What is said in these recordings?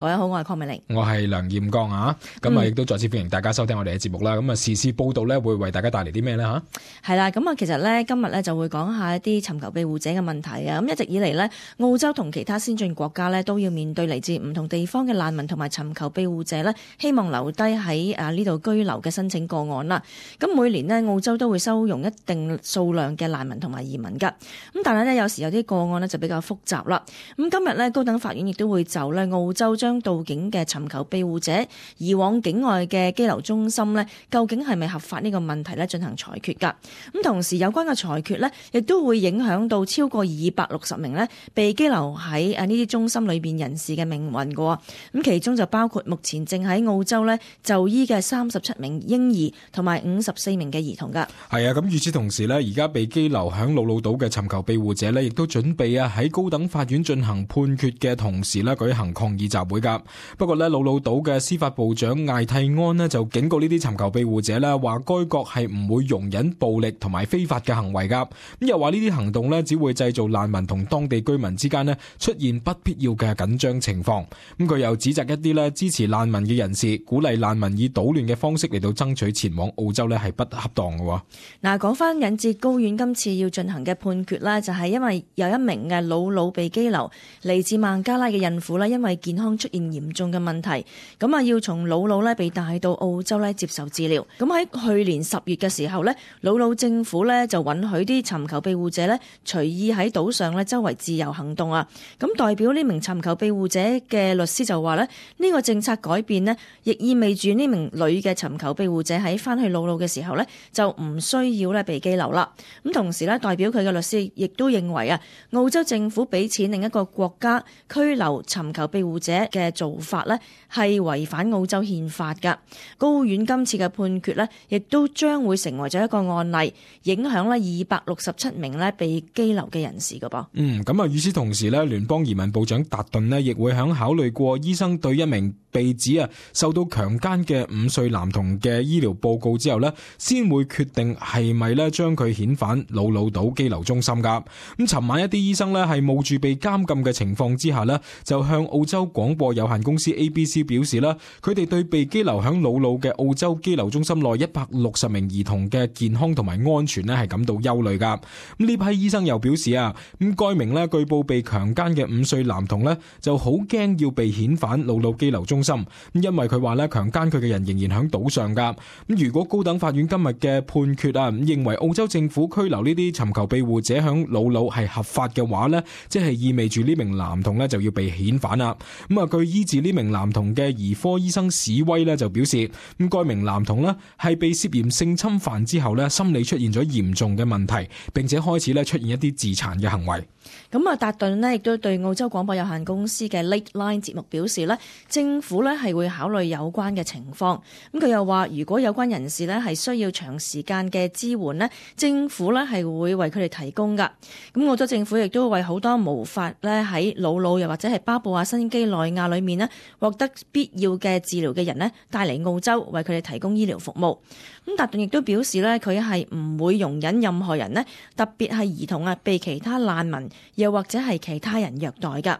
各位好，我係鄺美玲，我係梁彥剛啊。咁啊，亦都再次歡迎大家收聽我哋嘅節目啦。咁啊，時事報道咧會為大家帶嚟啲咩咧吓？係啦，咁啊，其實咧今日咧就會講下一啲尋求庇護者嘅問題啊。咁一直以嚟咧，澳洲同其他先進國家咧都要面對嚟自唔同地方嘅難民同埋尋求庇護者咧，希望留低喺呢度居留嘅申請個案啦。咁每年呢，澳洲都會收容一定數量嘅難民同埋移民噶。咁但係咧有時有啲個案呢就比較複雜啦。咁今日咧高等法院亦都會就咧澳洲將到境嘅尋求庇護者移往境外嘅羈留中心呢，究竟係咪合法呢個問題呢進行裁決㗎。咁同時有關嘅裁決呢，亦都會影響到超過260名呢被羈留喺呢啲中心裏邊人士嘅命運㗎。咁其中就包括目前正喺澳洲呢就醫嘅37名嬰兒同埋54名嘅兒童㗎。係啊，咁與此同時呢，而家被羈留響魯魯島嘅尋求庇護者呢，亦都準備喺高等法院進行判決嘅同時呢，舉行抗議集會㗎。不過呢，魯魯島嘅司法部長艾蒂安呢就警告呢啲尋求庇護者呢，話該國係唔會容忍暴力同埋非法嘅行為㗎。咁又話呢啲行動呢，只會製造難民同當地居民之間呢出現不必要嘅緊張情況。咁佢又指責一啲呢支持難民嘅人士，鼓勵難民以搗亂嘅方式嚟到爭取前往澳洲呢係不恰當嘅。嗱，講翻引致高院今次要進行嘅判決呢，就係因為有一名嘅魯魯被羈留嚟自孟加拉嘅孕婦呢，因為健康出現嚴重嘅問題，咁啊要從魯魯呢被帶到澳洲呢接受治療。咁喺去年10月嘅時候呢，魯魯政府呢就允許啲尋求庇護者呢隨意喺島上呢周圍自由行動啊。咁代表呢名尋求庇護者嘅律師就話呢，呢個政策改變呢，亦意味住呢名女嘅尋求庇護者喺翻去魯魯嘅時候呢，就唔需要呢被羈留啦。咁同時呢，代表佢嘅律師亦都認為啊，澳洲政府俾錢另一個國家拘留尋求庇護者嘅做法呢，係違反澳洲憲法㗎。高院今次嘅判決呢，亦都將會成為咗一個案例，影響呢267名呢被羈留嘅人士㗎噃。咁啊，與此同時呢，聯邦移民部長達頓呢亦會響考慮過醫生對一名被指受到強姦嘅5歲男童嘅醫療報告之後呢，先會決定係咪呢將佢遣返魯魯島羈留中心㗎。咁尋晚一啲醫生呢係冒住被監禁嘅情況之下呢，就向澳洲廣播有限公司 ABC 表示啦，佢哋對被羈留響魯魯嘅澳洲羈留中心內160名兒童嘅健康同埋安全呢係感到憂慮㗎。咁呢批醫生又表示咁該名呢據報被強姦嘅5歲男童呢就好驚要被遣返魯魯羈留中心，因為佢話呢強姦佢嘅人仍然響島上㗎。咁如果高等法院今日嘅判決認為澳洲政府拘留呢啲尋求庇護者響魯魯係合法嘅話呢，即係意味住呢名男童呢就要被遣返啦。咁據醫治呢名男童嘅兒科醫生史威呢就表示，咁該名男童呢係被涉嫌性侵犯之後呢心理出現咗嚴重嘅問題，並且開始呢出現一啲自殘嘅行為。咁啊，達頓呢亦都對澳洲廣播有限公司嘅 Late Line 節目表示呢，政府呢係會考慮有關嘅情況。咁佢又話，如果有關人士呢係需要長時間嘅支援呢，政府呢係會為佢哋提供㗎。咁澳洲政府亦都為好多無法呢喺魯魯又或者係巴布亞新幾內亞裏面呢獲得必要嘅治療嘅人呢帶嚟澳洲，為佢哋提供醫療服務。咁達頓亦都表示呢，佢係唔會容忍任何人呢，特別係兒童被其他難民又或者係其他人虐待㗎。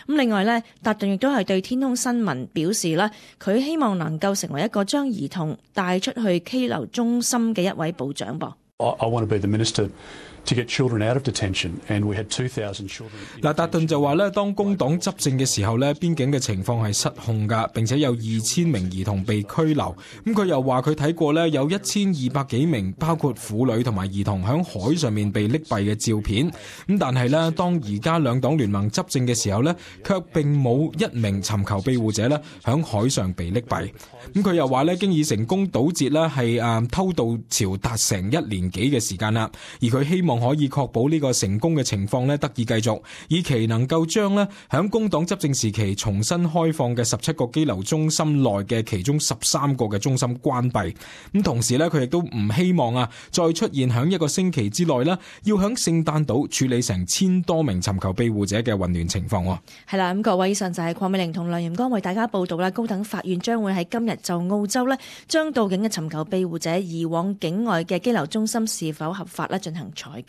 咁另外呢，達頓亦都係對天空新聞表示啦，佢希望能夠成為一個將兒童帶出去羈留中心嘅一位部長噃。I want to be the minister to get children out of detention, and we had 2,000 children. 達頓就話咧，當工黨執政嘅時候咧，邊境嘅情況係失控㗎，並且有2000名兒童被拘留。咁佢又話佢睇過咧，有1200幾名包括婦女同埋兒童響海上面被溺斃嘅照片。咁但係咧，當而家兩黨聯盟執政嘅時候咧，卻並冇一名尋求庇護者咧響海上被溺斃。咁佢又話咧，經已成功堵截咧係偷渡潮達成1年幾嘅時間啦，而佢希望可以確保呢個成功嘅情況咧得以繼續，以期能夠將咧響工黨執政時期重新開放嘅17個羈留中心內嘅其中13個嘅中心關閉。咁同時咧，佢亦都唔希望再出現響1個星期之內咧，要響聖誕島處理成1000多名尋求庇護者嘅混亂情況。係啦，咁各位，以上就係鄺美玲同梁彥剛為大家報道啦。高等法院將會喺今日就澳洲咧將到境嘅尋求庇護者移往境外嘅羈留中心是否合法咧進行裁決。